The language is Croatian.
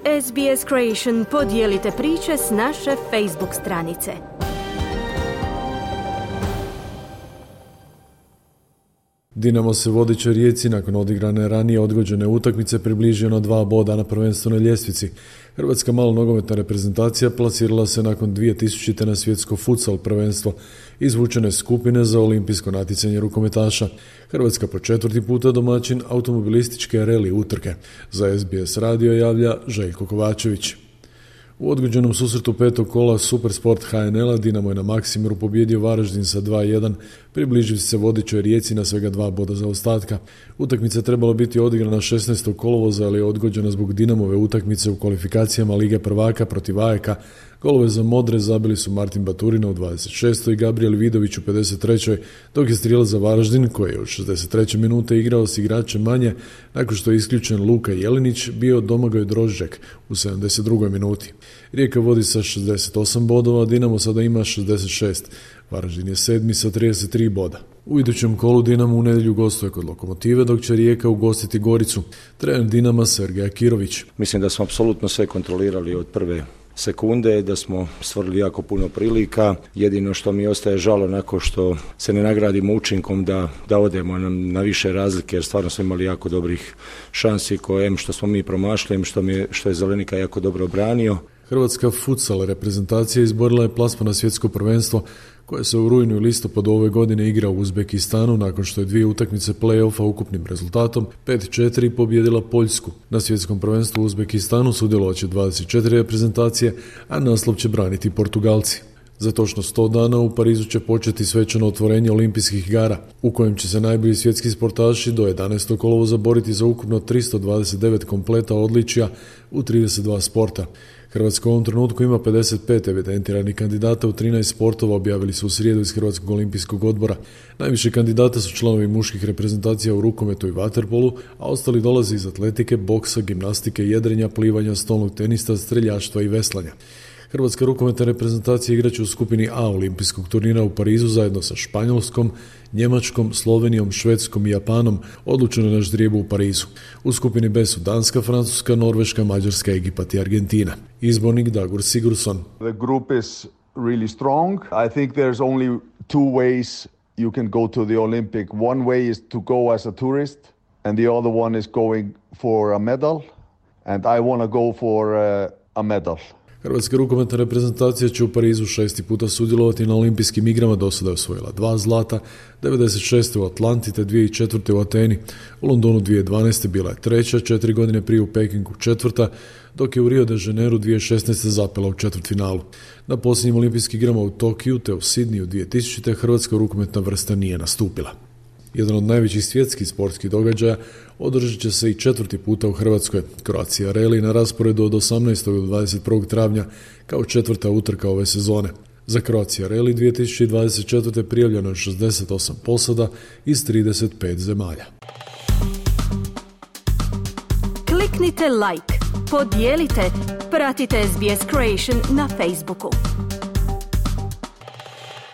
SBS Creation, podijelite priče s naše Facebook stranice. Dinamo se vodećoj Rijeci nakon odigrane ranije odgođene utakmice približio na 2 boda na prvenstvenoj ljestvici. Hrvatska malonogometna reprezentacija plasirala se nakon 2000. na svjetsko futsal prvenstvo, izvučene skupine za olimpijsko natjecanje rukometaša. Hrvatska po 4. puta domaćin automobilističke reli utrke. Za SBS radio javlja Željko Kovačević. U odgođenom susretu 5. kola Supersport HNL-a Dinamo je na Maksimiru pobijedio Varaždin sa 2:1, približivši se vodećoj Rijeci na svega 2 boda zaostatka. Utakmica trebala biti odigrana 16. kolovoza, ali je odgođena zbog Dinamove utakmice u kvalifikacijama Lige prvaka protiv AEK-a. Golove za modre zabili su Martin Baturina u 26. i Gabriel Vidović u 53. dok je strijelac za Varaždin, koji je u 63. minute igrao s igračem manje, nakon što je isključen Luka Jelinić, bio Domagoj Drožđek u 72. minuti. Rijeka vodi sa 68 bodova, Dinamo sada ima 66. Varaždin je 7. sa 33 boda. U idućem kolu Dinamo u nedjelju gostuje kod Lokomotive, dok će Rijeka ugostiti Goricu. Trener Dinama Sergej Akirović. Mislim da smo apsolutno sve kontrolirali od prve sekunde, da smo stvorili jako puno prilika. Jedino što mi ostaje žalo nakon što se ne nagradimo učinkom da odemo na više razlike, jer stvarno smo imali jako dobrih šansi koje što smo mi promašili, što je Zelenika jako dobro obranio. Hrvatska futsal reprezentacija izborila je plasman na svjetsko prvenstvo koje se u rujnu i listopadu ove godine igra u Uzbekistanu nakon što je 2 utakmice play-offa ukupnim rezultatom 5-4 pobjedila Poljsku. Na svjetskom prvenstvu u Uzbekistanu sudjelovat će 24 reprezentacije, a naslov će braniti Portugalci. Za točno 100 dana u Parizu će početi svečano otvorenje olimpijskih igara, u kojem će se najbolji svjetski sportaši do 11. kolovoza boriti za ukupno 329 kompleta odličja u 32 sporta. Hrvatska u ovom trenutku ima 55 evidentiranih kandidata u 13 sportova, objavili su u srijedu iz Hrvatskog olimpijskog odbora. Najviše kandidata su članovi muških reprezentacija u rukometu i vaterpolu, a ostali dolaze iz atletike, boksa, gimnastike, jedrenja, plivanja, stolnog tenista, streljaštva i veslanja. Hrvatska rukometna reprezentacija igraće u skupini A olimpijskog turnira u Parizu zajedno sa Španjolskom, Njemačkom, Slovenijom, Švedskom i Japanom, odlučeno na ždrijebu u Parizu. U skupini B su Danska, Francuska, Norveška, Mađarska, Egipat i Argentina. Izbornik Dagur Sigurdsson. The group is really strong. I think there's only 2 ways you can go to the Olympic. One way is to go as a tourist and the other one is going for a medal, and I want to go for a medal. Hrvatska rukometna reprezentacija će u Parizu 6. puta sudjelovati na olimpijskim igrama, do sada je osvojila 2 zlata, 96. u Atlanti te 2004. u Ateni. U Londonu 2012. bila je 3., 4 godine prije u Pekingu 4., dok je u Rio de Janeiro 2016. zapela u četvrtfinalu. Na posljednjim olimpijskim igrama u Tokiju te u Sidniju 2000. hrvatska rukometna vrsta nije nastupila. Jedan od najvećih svjetskih sportskih događaja održat će se i 4. puta u Hrvatskoj. Croatia Rally na rasporedu od 18. do 21. travnja kao 4. utrka ove sezone. Za Croatia Rally 2024. prijavljeno je 68 posada iz 35 zemalja. Kliknite like, podijelite, pratite SBS Creation na Facebooku.